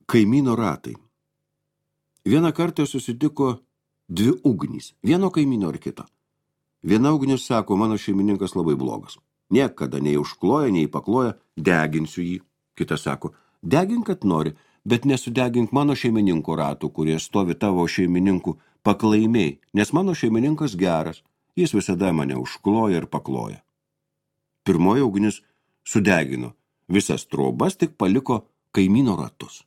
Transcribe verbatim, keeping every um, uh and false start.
Kaimyno ratai. Vieną kartą susitiko dvi ugnys, vieno kaimyno ar kito. Viena ugnis sako, mano šeimininkas labai blogas. Niekada nei užkloja, nei pakloja, deginsiu jį. Kita sako, degink, kad nori, bet nesudegink mano šeimininko ratų, kurie stovi tavo šeimininkų paklaimiai, nes mano šeimininkas geras, jis visada mane užkloja ir pakloja. Pirmoji ugnis sudegino visas trobas, tik paliko kaimyno ratus.